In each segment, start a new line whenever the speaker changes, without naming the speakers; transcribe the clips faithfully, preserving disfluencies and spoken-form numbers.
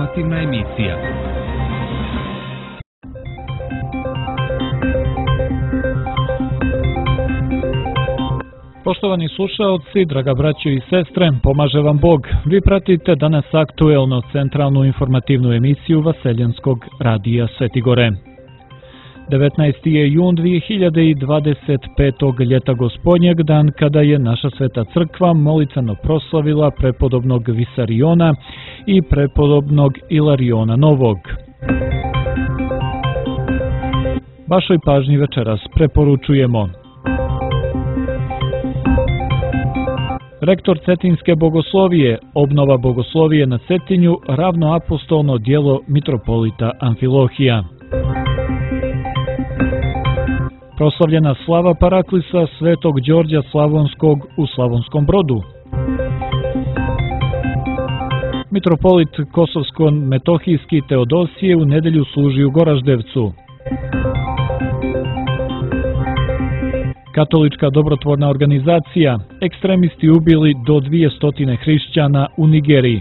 Informativna emisija.
Poštovani slušaoci, draga braćo i sestre, pomaže vam Bog. Vi pratite danas aktuelno centralnu informativnu emisiju Vaseljenskog radija Svetigore. devetnaesti je jun dvije hiljade dvadeset petog. ljeta gospodnjeg, dan kada je naša sveta crkva molitveno proslavila prepodobnog Visariona i prepodobnog Ilariona Novog. Vašoj pažnji večeras preporučujemo: rektor Cetinske bogoslovije, obnova bogoslovije na Cetinju, ravnoapostolno djelo mitropolita Amfilohija. Proslavljena slava Paraklisa Svetog Đorđa Slavonskog u Slavonskom Brodu. Mitropolit Kosovsko-metohijski Teodosije u nedelju služi u Goraždevcu. Katolička dobrotvorna organizacija, ekstremisti ubili do dvjesto hrišćana u Nigeriji.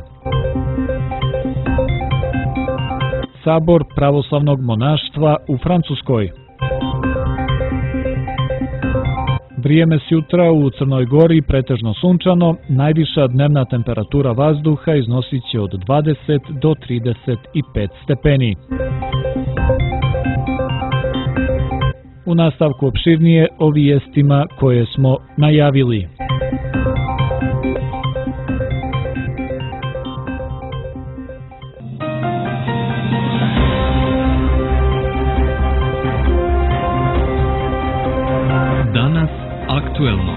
Sabor pravoslavnog monaštva u Francuskoj. Vrijeme s jutra u Crnoj Gori pretežno sunčano, najviša dnevna temperatura vazduha iznosit će od dvadeset do trideset pet stepeni. U nastavku opširnije o vijestima koje smo najavili.
Danas aktuelno.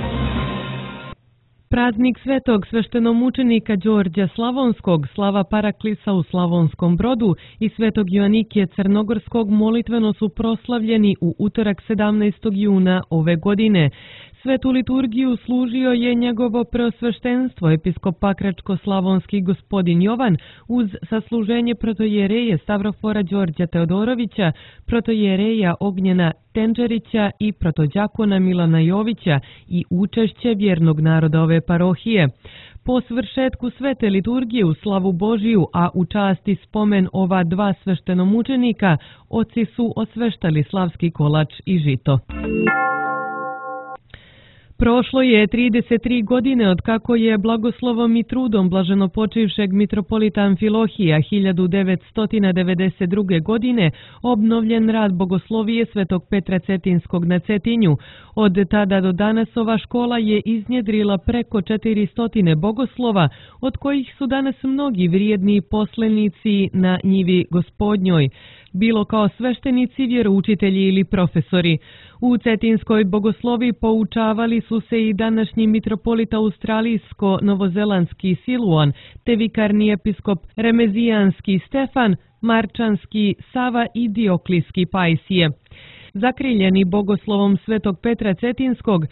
Praznik svetog sveštenomučenika Đorđa Slavonskog, slava Paraklisa u Slavonskom Brodu i svetog Joanikija Crnogorskog molitveno su proslavljeni u utorak sedamnaestog juna ove godine. Svetu liturgiju služio je njegovo preosveštenstvo episkop Pakračko-slavonski gospodin Jovan uz sasluženje protojereje Stavrofora Đorđa Teodorovića, protojereja Ognjena Tenđerića i protođakona Milana Jovića i učešće vjernog naroda ove parohije. Po svršetku svete liturgije u slavu Božiju, a u časti spomen ova dva sveštenomučenika, oci su osveštali slavski kolač i žito. Prošlo je trideset tri godine od kako je blagoslovom i trudom blaženopočivšeg mitropolita Amfilohija hiljadu devetsto devedeset druge. godine obnovljen rad bogoslovije Svetog Petra Cetinskog na Cetinju. Od tada do danas ova škola je iznjedrila preko četiristo bogoslova, od kojih su danas mnogi vrijedni poslenici na njivi Gospodnjoj, bilo kao sveštenici, vjeroučitelji ili profesori. U Cetinskoj bogosloviji poučavali su se i današnji mitropolit australijsko-novozelandski Siluan, te vikarni episkop remezijanski Stefan, marčanski Sava i dioklijski Pajsije. Zakriljeni bogoslovom Svetog Petra Cetinskog,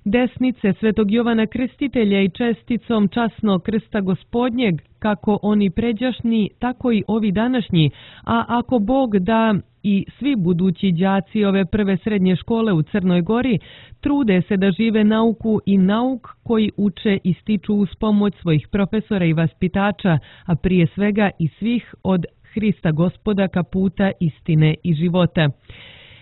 desnice Svetog Jovana Krstitelja i česticom časnog krsta Gospodnjeg, kako oni pređašnji, tako i ovi današnji, a ako Bog da i svi budući đaci ove prve srednje škole u Crnoj Gori trude se da žive nauku i nauk koji uče i stiču uz pomoć svojih profesora i vaspitača, a prije svega i svih od Hrista Gospoda ka puta istine i života.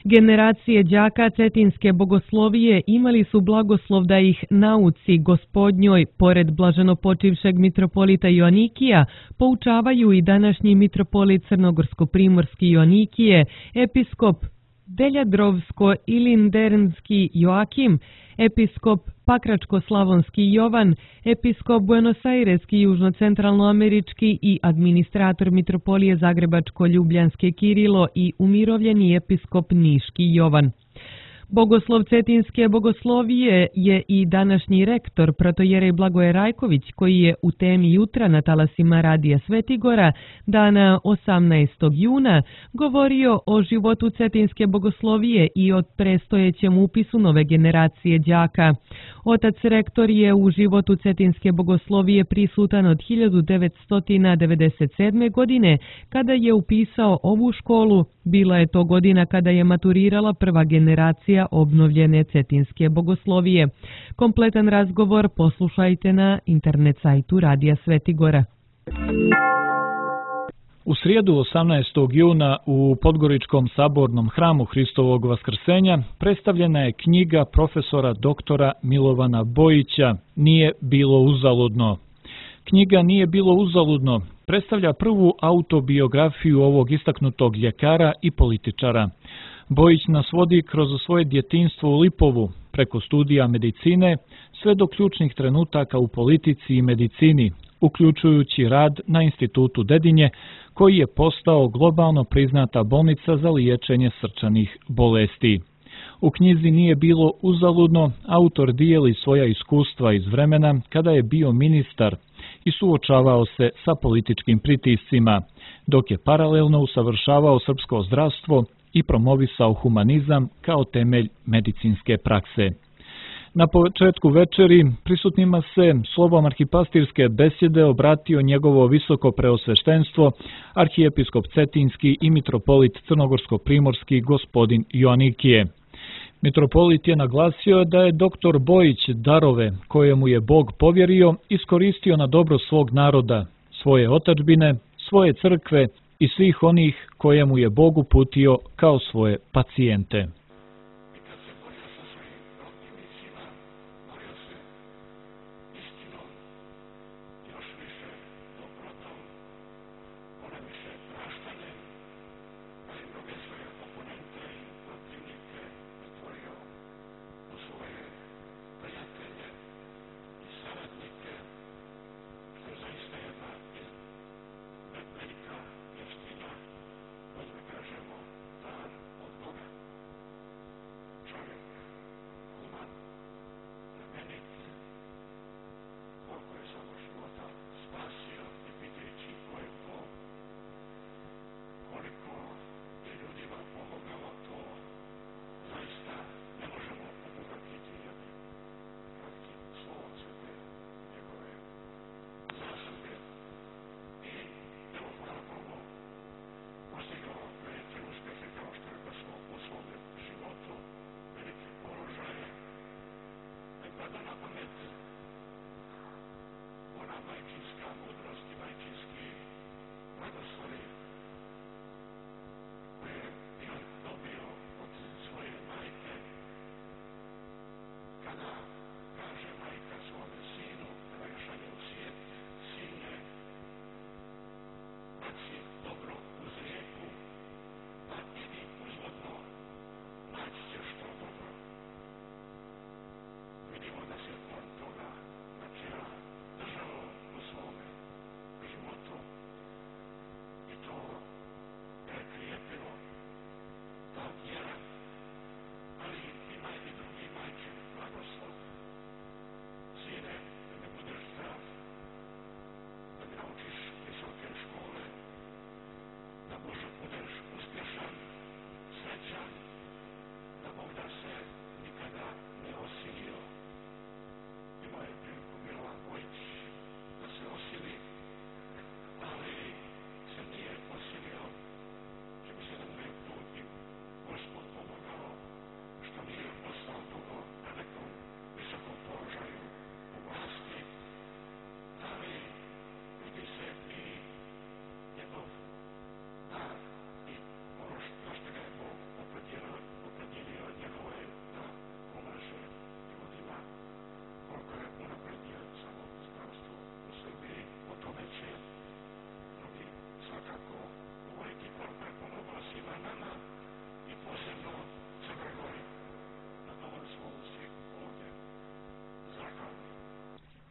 Generacije đaka Cetinske bogoslovije imali su blagoslov da ih nauci Gospodnjoj, pored blaženopočivšeg mitropolita Joanikija, poučavaju i današnji mitropolit Crnogorsko-primorski Joanikije, episkop Deljadrovsko-ilindernski Joakim, episkop Pakračko-slavonski Jovan, episkop Buenos Aireski južno-centralnoamerički i administrator mitropolije Zagrebačko-ljubljanske Kirilo i umirovljeni episkop Niški Jovan. Bogoslov Cetinske bogoslovije je i današnji rektor protojerej Blagoje Rajković, koji je u temi jutra na talasima radija Svetigora dana osamnaestog juna govorio o životu Cetinske bogoslovije i o predstojećem upisu nove generacije đaka. Otac rektor je u životu Cetinske bogoslovije prisutan od hiljadu devetsto devedeset sedme. godine, kada je upisao ovu školu. Bila je to godina kada je maturirala prva generacija obnovljene Cetinske bogoslovije. Kompletan razgovor poslušajte na internet sajtu Radija Svetigora.
U srijedu osamnaestog juna u Podgoričkom sabornom hramu Hristovog vaskrsenja predstavljena je knjiga profesora doktora Milovana Bojića Nije bilo uzaludno. Knjiga Nije bilo uzaludno predstavlja prvu autobiografiju ovog istaknutog ljekara i političara. Bojić nas vodi kroz svoje djetinjstvo u Lipovu, preko studija medicine, sve do ključnih trenutaka u politici i medicini, uključujući rad na Institutu Dedinje, koji je postao globalno priznata bolnica za liječenje srčanih bolesti. U knjizi Nije bilo uzaludno autor dijeli svoja iskustva iz vremena kada je bio ministar i suočavao se sa političkim pritiscima, dok je paralelno usavršavao srpsko zdravstvo i promovisao humanizam kao temelj medicinske prakse. Na početku večeri prisutnima se slovom arhipastirske besjede obratio njegovo visoko preosveštenstvo, arhijepiskop Cetinski i mitropolit Crnogorsko-primorski gospodin Joanikije. Mitropolit je naglasio da je doktor Bojić darove koje mu je Bog povjerio iskoristio na dobro svog naroda, svoje otadžbine, svoje crkve i svih onih koje mu je Bog uputio kao svoje pacijente.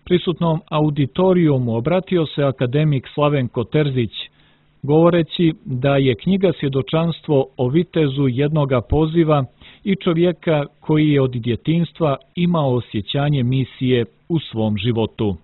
Prisutnom auditorijumu obratio se akademik Slavenko Terzić, govoreći da je knjiga svjedočanstvo o vitezu jednoga poziva i čovjeka koji je od djetinjstva imao osjećanje misije u svom životu.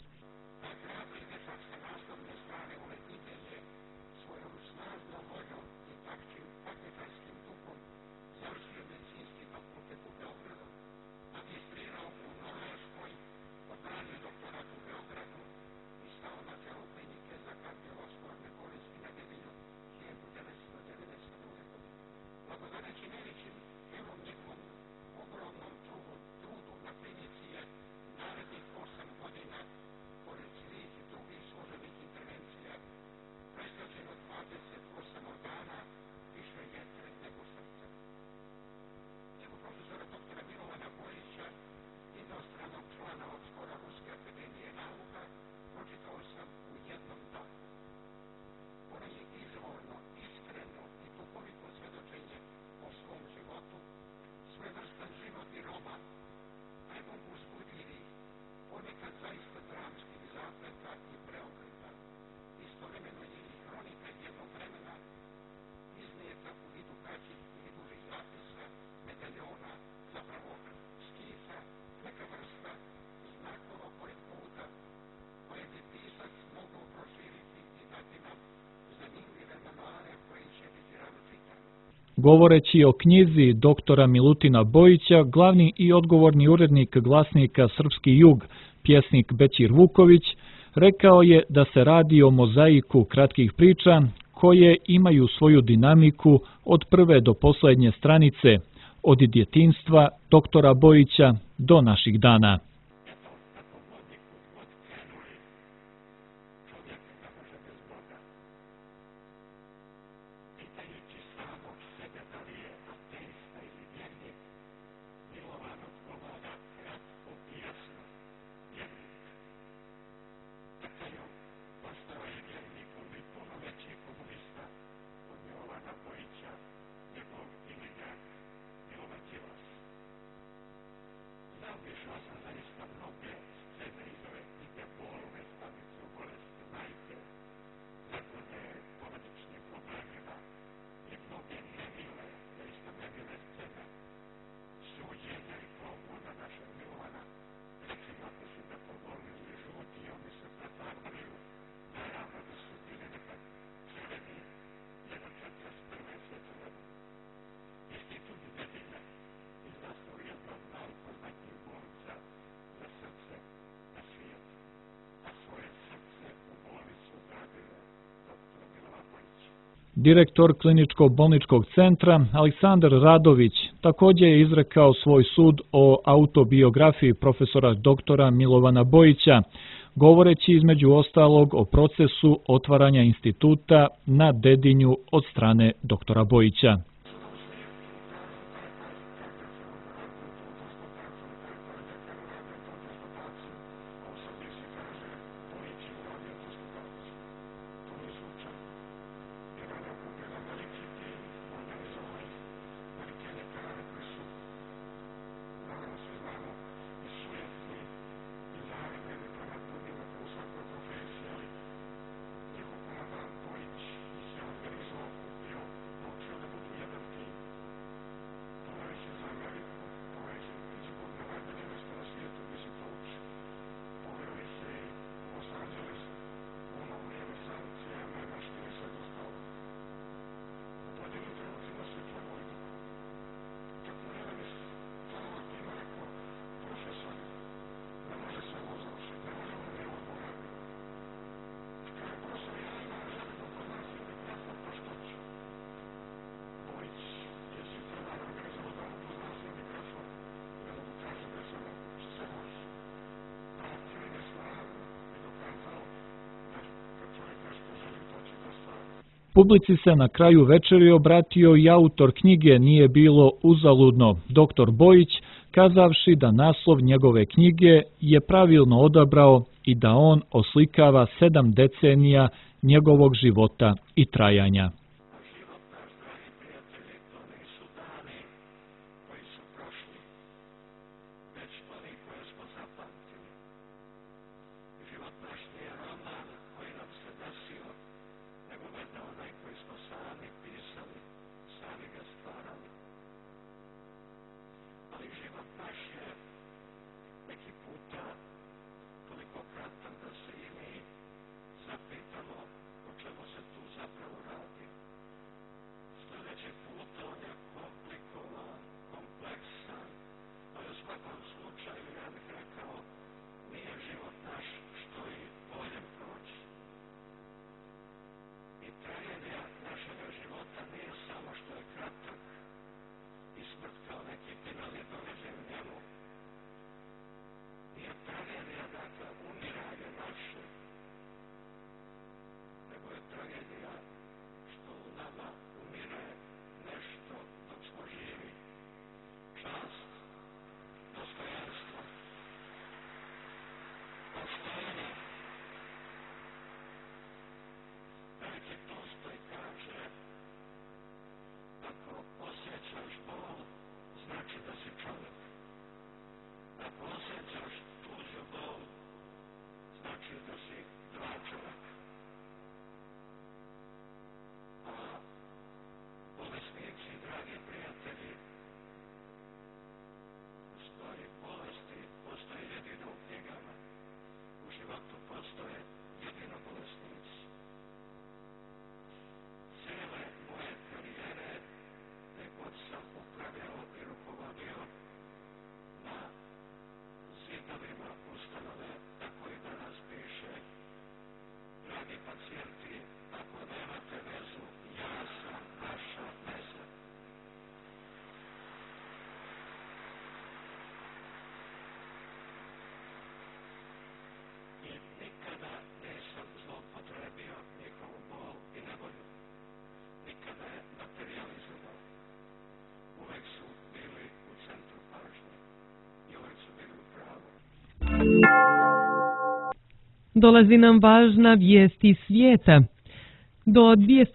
Govoreći o knjizi doktora Milutina Bojića, glavni i odgovorni urednik glasnika Srpski jug, pjesnik Bećir Vuković, rekao je da se radi o mozaiku kratkih priča koje imaju svoju dinamiku od prve do posljednje stranice, od djetinjstva doktora Bojića do naših dana. Direktor kliničko-bolničkog centra Aleksandar Radović također je izrekao svoj sud o autobiografiji profesora doktora Milovana Bojića, govoreći između ostalog o procesu otvaranja instituta na Dedinju od strane doktora Bojića. Publici se na kraju večeri obratio i autor knjige Nije bilo uzaludno, doktor Bojić, kazavši da naslov njegove knjige je pravilno odabrao i da on oslikava sedam decenija njegovog života i trajanja.
Zapitamo o čemu se tu zapravo radi.
Dolazi nam važna vijest iz svijeta. Do dvije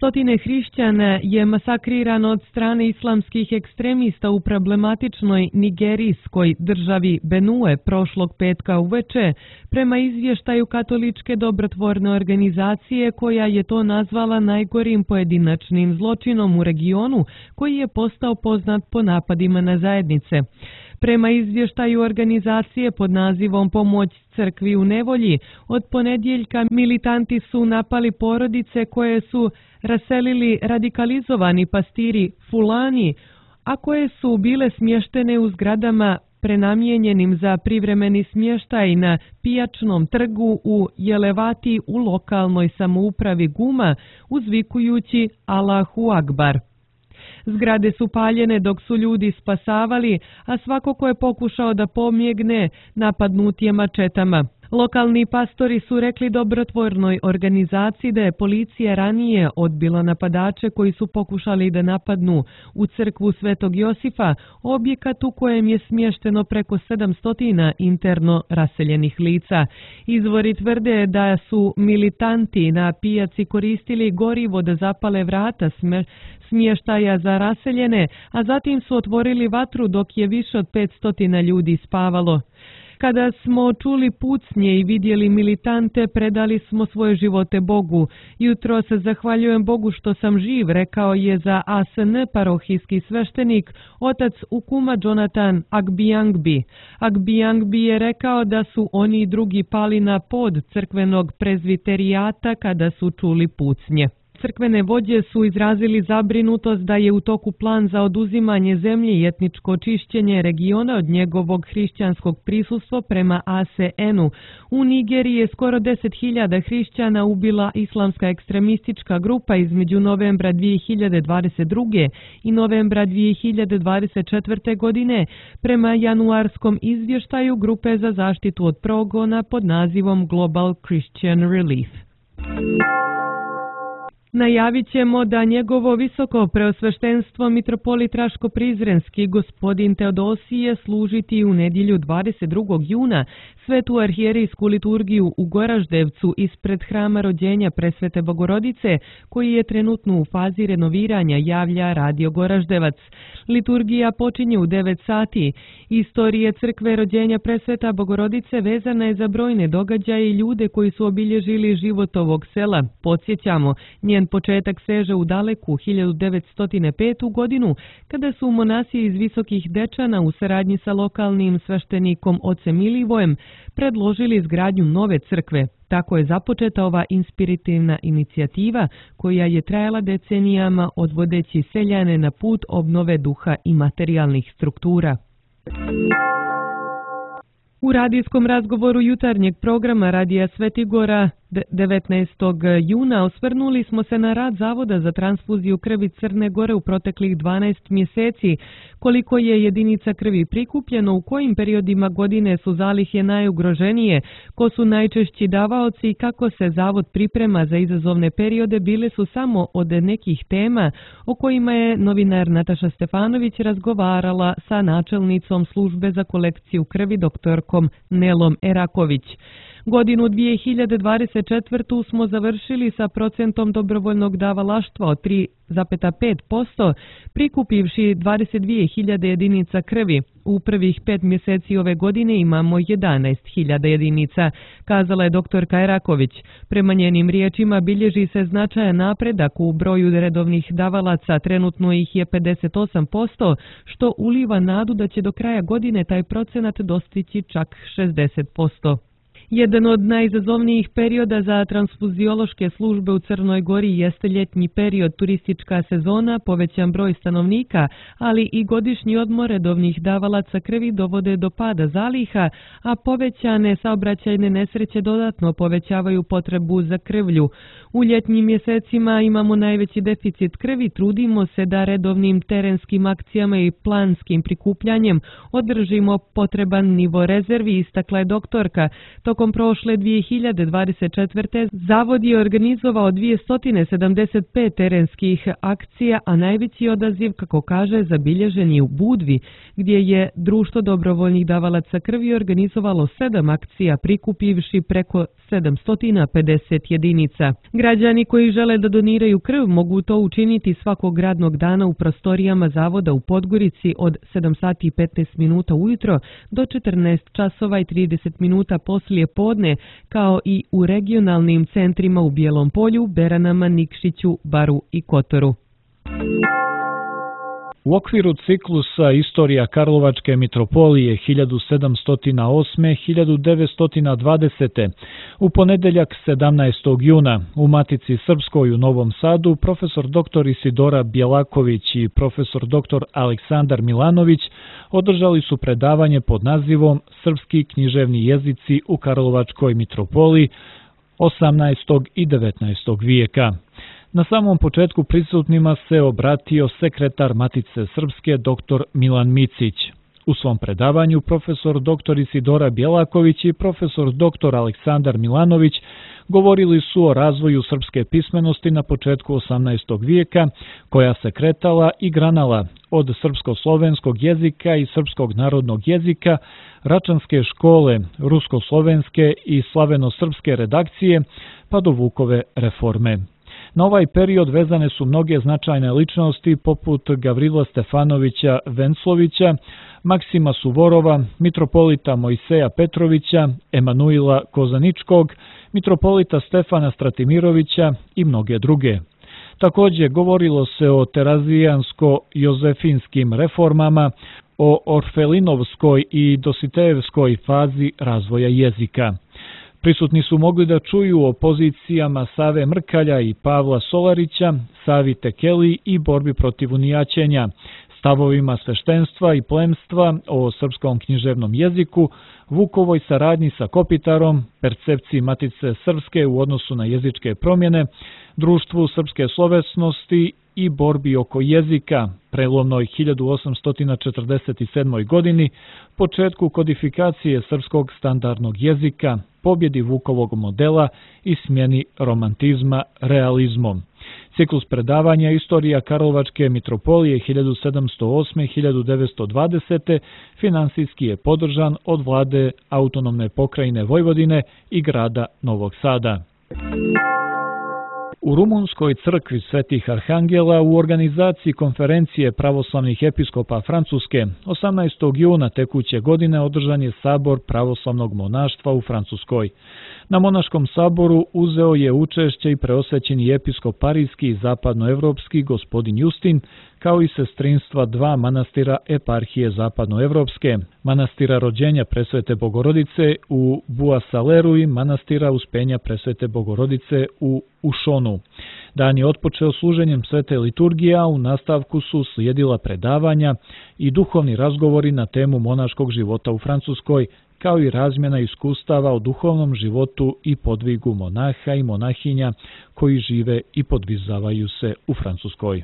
hrišćana je masakrirano od strane islamskih ekstremista u problematičnoj nigerijskoj državi Benue prošlog petka uveče, prema izvještaju katoličke dobrotvorne organizacije koja je to nazvala najgorim pojedinačnim zločinom u regionu koji je postao poznat po napadima na zajednice. Prema izvještaju organizacije pod nazivom Pomoć crkvi u nevolji, od ponedjeljka militanti su napali porodice koje su raselili radikalizovani pastiri Fulani, a koje su bile smještene u zgradama prenamijenjenim za privremeni smještaj na pijačnom trgu u Jelevati u lokalnoj samoupravi Guma, uzvikujući Allahu Akbar. Zgrade su paljene dok su ljudi spasavali, a svako ko je pokušao da pobjegne napadnut je mačetama. Lokalni pastori su rekli dobrotvornoj organizaciji da je policija ranije odbila napadače koji su pokušali da napadnu u crkvu Svetog Josifa, objekat u kojem je smješteno preko sedamsto interno raseljenih lica. Izvori tvrde da su militanti na pijaci koristili gorivo da zapale vrata smještaja za raseljene, a zatim su otvorili vatru dok je više od petsto ljudi spavalo. Kada smo čuli pucnje i vidjeli militante, predali smo svoje živote Bogu. Jutro se zahvaljujem Bogu što sam živ, rekao je za A S N parohijski sveštenik, otac Ukuma Jonathan Agbiyangbi. Agbiyangbi je rekao da su oni i drugi pali na pod crkvenog prezviterijata kada su čuli pucnje. Crkvene vođe su izrazili zabrinutost da je u toku plan za oduzimanje zemlje i etničko čišćenje regiona od njegovog hrišćanskog prisustva prema A S N-u. U Nigeriji je skoro deset hiljada hrišćana ubila islamska ekstremistička grupa između novembra dvije hiljade dvadeset druge i novembra dvije hiljade dvadeset četvrte. godine, prema januarskom izvještaju grupe za zaštitu od progona pod nazivom Global Christian Relief. Najavit ćemo da njegovo visoko preosveštenstvo mitropolit Raško-Prizrenski gospodin Teodosije služiti u nedjelju dvadeset drugog juna svetu arhijerijsku liturgiju u Goraždevcu ispred hrama rođenja Presvete Bogorodice, koji je trenutno u fazi renoviranja, javlja Radio Goraždevac. Liturgija počinje u devet sati. Istorija crkve rođenja Presveta Bogorodice vezana je za brojne događaje i ljude koji su obilježili život ovog sela. Podsjećamo, njen početak seže u daleku hiljadu devetsto petu. godinu, kada su monasi iz Visokih Dečana u saradnji sa lokalnim sveštenikom ocem Milivojem predložili izgradnju nove crkve. Tako je započeta ova inspirativna inicijativa koja je trajala decenijama odvodeći seljane na put obnove duha i materijalnih struktura. U radijskom razgovoru jutarnjeg programa Radija Svetigora devetnaestog juna osvrnuli smo se na rad Zavoda za transfuziju krvi Crne Gore u proteklih dvanaest mjeseci, koliko je jedinica krvi prikupljeno, u kojim periodima godine su zalihe najugroženije, ko su najčešći davaoci i kako se Zavod priprema za izazovne periode bile su samo od nekih tema o kojima je novinar Nataša Stefanović razgovarala sa načelnicom službe za kolekciju krvi doktorkom Nelom Eraković. Godinu dvije hiljade dvadeset četvrtu. smo završili sa procentom dobrovoljnog davalaštva od tri zarez pet posto, prikupivši dvadeset dvije hiljade jedinica krvi. U prvih pet mjeseci ove godine imamo jedanaest hiljada jedinica, kazala je doktorka Eraković. Prema njenim riječima bilježi se značajan napredak u broju redovnih davalaca, trenutno ih je pedeset osam posto, što uliva nadu da će do kraja godine taj procenat dostići čak šezdeset posto. Jedan od najizazovnijih perioda za transfuziološke službe u Crnoj Gori jeste ljetni period, turistička sezona, povećan broj stanovnika, ali i godišnji odmor redovnih davalaca krvi dovode do pada zaliha, a povećane saobraćajne nesreće dodatno povećavaju potrebu za krvlju. U ljetnim mjesecima imamo najveći deficit krvi, trudimo se da redovnim terenskim akcijama i planskim prikupljanjem održimo potreban nivo rezervi, istakla je doktorka. Tokom Tokom prošle dvije hiljade dvadeset četvrte. zavod je organizovao dvjesto sedamdeset pet terenskih akcija, a najveći odaziv, kako kaže, zabilježen je u Budvi, gdje je Društvo dobrovoljnih davalaca krvi organizovalo sedam akcija, prikupivši preko sedamsto pedeset jedinica. Građani koji žele da doniraju krv mogu to učiniti svakog radnog dana u prostorijama zavoda u Podgorici od sedam sati i petnaest minuta ujutro do četrnaest časova i trideset minuta poslije podne, kao i u regionalnim centrima u Bijelom Polju, Beranama, Nikšiću, Baru i Kotoru.
U okviru ciklusa Istorija Karlovačke mitropolije hiljadu sedamsto osme do hiljadu devetsto dvadesete. u ponedeljak sedamnaestog juna u Matici Srpskoj u Novom Sadu profesor doktor Isidora Bjelaković i profesor doktor Aleksandar Milanović održali su predavanje pod nazivom Srpski književni jezici u Karlovačkoj mitropoliji osamnaestog i devetnaestog vijeka. Na samom početku prisutnima se obratio sekretar Matice Srpske doktor Milan Micić. U svom predavanju profesor doktor Isidora Bjelaković i profesor doktor Aleksandar Milanović govorili su o razvoju srpske pismenosti na početku osamnaestog vijeka, koja se kretala i granala od srpsko-slovenskog jezika i srpskog narodnog jezika, Račanske škole, rusko-slovenske i slaveno-srpske redakcije, pa do Vukove reforme. Na ovaj period vezane su mnoge značajne ličnosti poput Gavrila Stefanovića Venclovića, Maksima Suvorova, mitropolita Mojseja Petrovića, Emanuila Kozaničkog, mitropolita Stefana Stratimirovića i mnoge druge. Također govorilo se o terazijansko-jozefinskim reformama, o orfelinovskoj i dositejevskoj fazi razvoja jezika. Prisutni su mogli da čuju o pozicijama Save Mrkalja i Pavla Solarića, Savi Tekeli i borbi protiv unijaćenja, stavovima sveštenstva i plemstva o srpskom književnom jeziku, Vukovoj saradnji sa Kopitarom, percepciji Matice Srpske u odnosu na jezičke promjene, društvu srpske slovesnosti i borbi oko jezika, prelomnoj hiljadu osamsto četrdeset sedmoj. godini, početku kodifikacije srpskog standardnog jezika, pobjedi Vukovog modela i smjeni romantizma realizmom. Ciklus predavanja Istorija Karlovačke mitropolije hiljadu sedamsto osme do hiljadu devetsto dvadesete. finansijski je podržan od vlade autonomne pokrajine Vojvodine i grada Novog Sada. U Rumunskoj crkvi Svetih Arhangela u organizaciji konferencije pravoslavnih episkopa Francuske osamnaestog juna tekuće godine održan je sabor pravoslavnog monaštva u Francuskoj. Na monaškom saboru uzeo je učešće i preosvećeni episkop parijski i zapadnoevropski gospodin Justin, kao i sestrinstva dva manastira eparhije zapadnoevropske, manastira rođenja Presvete Bogorodice u Buasaleru i manastira Uspenja Presvete Bogorodice u Ušonu. Dan je otpočeo služenjem svete liturgije, a u nastavku su slijedila predavanja i duhovni razgovori na temu monaškog života u Francuskoj, kao i razmjena iskustava o duhovnom životu i podvigu monaha i monahinja koji žive i podvizavaju se u Francuskoj.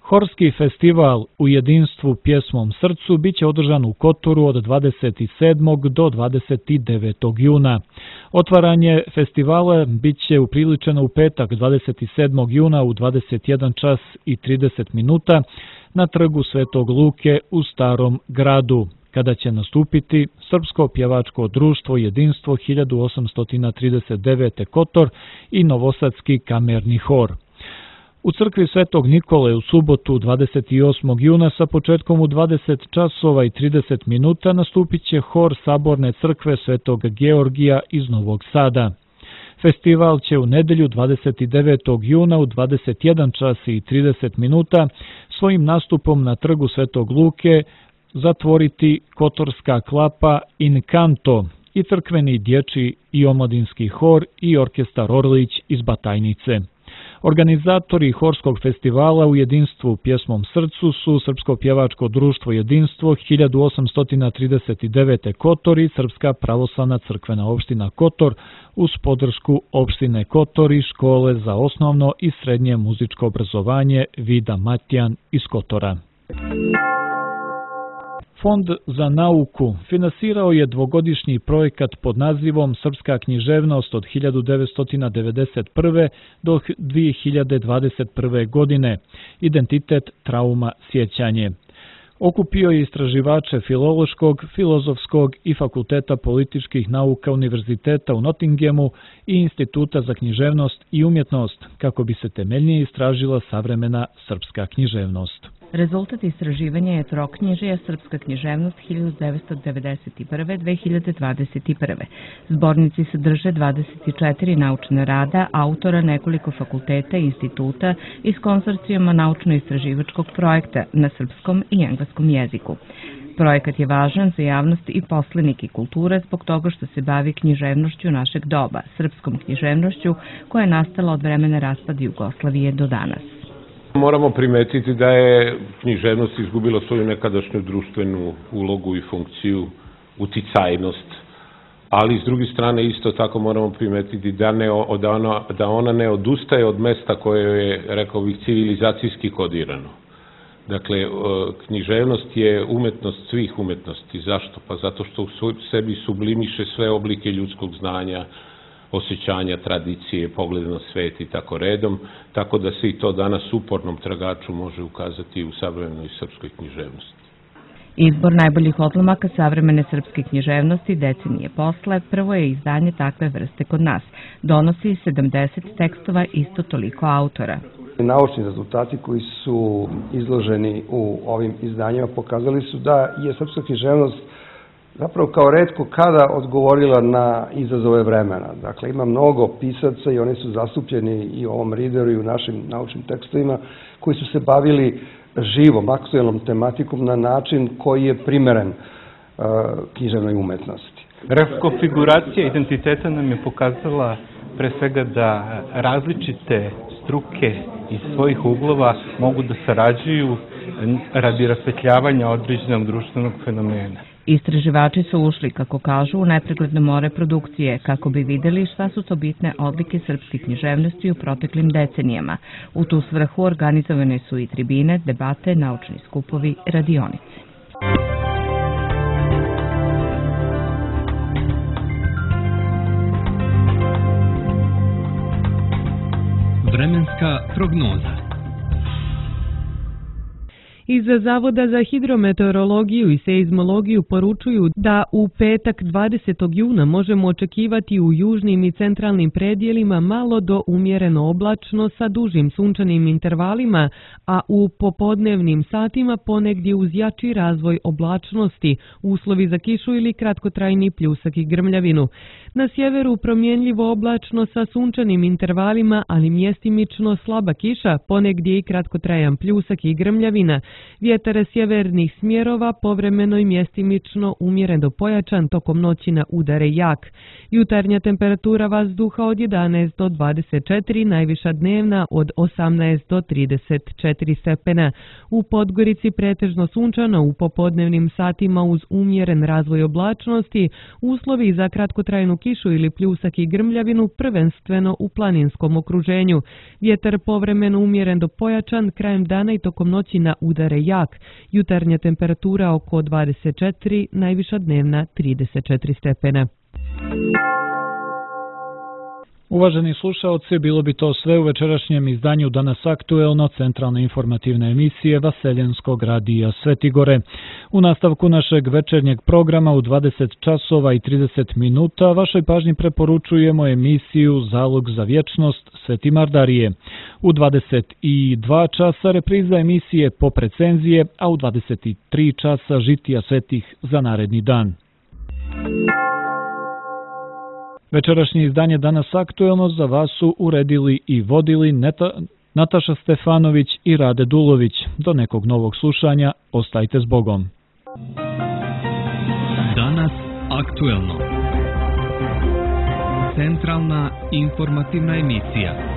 Horski festival u jedinstvu pjesmom srcu biće održan u Kotoru od dvadeset sedmog do dvadeset devetog juna. Otvaranje festivala biće upriličeno u petak dvadeset sedmog juna u dvadeset jedan čas i trideset minuta na trgu Svetog Luke u Starom gradu, kada će nastupiti Srpsko pjevačko društvo Jedinstvo hiljadu osamsto trideset devete. Kotor i Novosadski kamerni hor. U crkvi Svetog Nikole u subotu dvadeset osmog juna sa početkom u dvadeset časova i trideset minuta nastupit će hor Saborne crkve Svetog Georgija iz Novog Sada. Festival će u nedelju dvadeset devetog juna u dvadeset jedan čas i trideset minuta svojim nastupom na trgu Svetog Luke zatvoriti Kotorska klapa In Canto i crkveni dječji i omladinski hor i orkestar Orlić iz Batajnice. Organizatori Horskog festivala u jedinstvu pjesmom srcu su Srpsko pjevačko društvo Jedinstvo hiljadu osamsto trideset devete. Kotor i Srpska pravoslavna crkvena opština Kotor uz podršku opštine Kotor i škole za osnovno i srednje muzičko obrazovanje Vida Matjan iz Kotora. Fond za nauku finansirao je dvogodišnji projekat pod nazivom Srpska književnost od hiljadu devetsto devedeset prve. do dvije hiljade dvadeset prve. godine, identitet, trauma, sjećanje. Okupio je istraživače Filološkog, Filozofskog i Fakulteta političkih nauka Univerziteta u Nottinghamu i Instituta za književnost i umjetnost, kako bi se temeljnije istražila savremena srpska književnost.
Rezultat istraživanja je troknjižija Srpska književnost hiljadu devetsto devedeset prve. do dve hiljade dvadeset prve. Zbornici sadrže dvadeset četiri naučna rada autora nekoliko fakulteta i instituta iz konzorcijuma naučno-istraživačkog projekta na srpskom i engleskom jeziku. Projekat je važan za javnost i poslenike kulture zbog toga što se bavi književnošću našeg doba, srpskom književnošću koja je nastala od vremena raspada Jugoslavije do danas.
Moramo primetiti da je književnost izgubila svoju nekadašnju društvenu ulogu i funkciju, uticajnost, ali s druge strane isto tako moramo primetiti da, ne, da, ona, da ona ne odustaje od mesta koje je, rekao bih, civilizacijski kodirano. Dakle, književnost je umetnost svih umetnosti. Zašto? Pa zato što u sebi sublimiše sve oblike ljudskog znanja, osjećanja, tradicije, pogleda na svet i tako redom, tako da se i to danas upornom tragaču može ukazati u savremenoj srpskoj književnosti.
Izbor najboljih odlomaka savremene srpske književnosti decenije posle prvo je izdanje takve vrste kod nas. Donosi sedamdeset tekstova, isto toliko autora.
Naučni rezultati koji su izloženi u ovim izdanjima pokazali su da je srpska književnost zapravo kao retko kada odgovorila na izazove vremena. Dakle, ima mnogo pisaca i oni su zastupljeni i u ovom Readeru i u našim naučnim tekstovima koji su se bavili živom, aktuelnom tematikom na način koji je primeren uh, književnoj umetnosti.
Rekonfiguracija identiteta nam je pokazala pre svega da različite struke iz svojih uglova mogu da sarađuju radi rasvetljavanja određenog društvenog fenomena.
Istraživači su ušli, kako kažu, u nepregledno more produkcije, kako bi videli šta su to bitne odlike srpske književnosti u proteklim decenijama. U tu svrhu organizovane su i tribine, debate, naučni skupovi, radionice.
Vremenska prognoza.
Iz Zavoda za hidrometeorologiju i seizmologiju poručuju da u petak dvadesetog juna možemo očekivati u južnim i centralnim predjelima malo do umjereno oblačno sa dužim sunčanim intervalima, a u popodnevnim satima ponegdje uz jači razvoj oblačnosti, uslovi za kišu ili kratkotrajni pljusak i grmljavinu. Na sjeveru promjenljivo oblačno sa sunčanim intervalima, ali mjestimično slaba kiša, ponegdje i kratkotrajan pljusak i grmljavina. Vjetar sjevernih smjerova povremeno i mjestimično umjeren do pojačan, tokom noći na udare jak. Jutarnja temperatura vazduha od jedanaest do dvadeset četiri, najviša dnevna od osamnaest do trideset četiri stepena. U Podgorici pretežno sunčano, u popodnevnim satima uz umjeren razvoj oblačnosti, uslovi za kratkotrajnu kišu ili pljusak i grmljavinu prvenstveno u planinskom okruženju. Vjetar povremeno umjeren do pojačan, krajem dana i tokom noći na udare jak. Jutarnja temperatura oko dvadeset četiri, najviša dnevna trideset četiri stepena.
Uvaženi slušaoci, bilo bi to sve u večerašnjem izdanju Danas aktuelno, centralne informativne emisije Vaseljenskog radija Svetigore. U nastavku našeg večernjeg programa u dvadeset časova i trideset minuta vašoj pažnji preporučujemo emisiju Zalog za vječnost Sveti Mardarije. U dvadeset dva časa repriza emisije Pop recenzije, a u dvadeset tri časa Žitija svetih za naredni dan. Večerašnje izdanje Danas aktuelno za vas su uredili i vodili Neta, Nataša Stefanović i Rade Dulović. Do nekog novog slušanja, ostajte s Bogom.
Danas aktuelno. Centralna informativna emisija.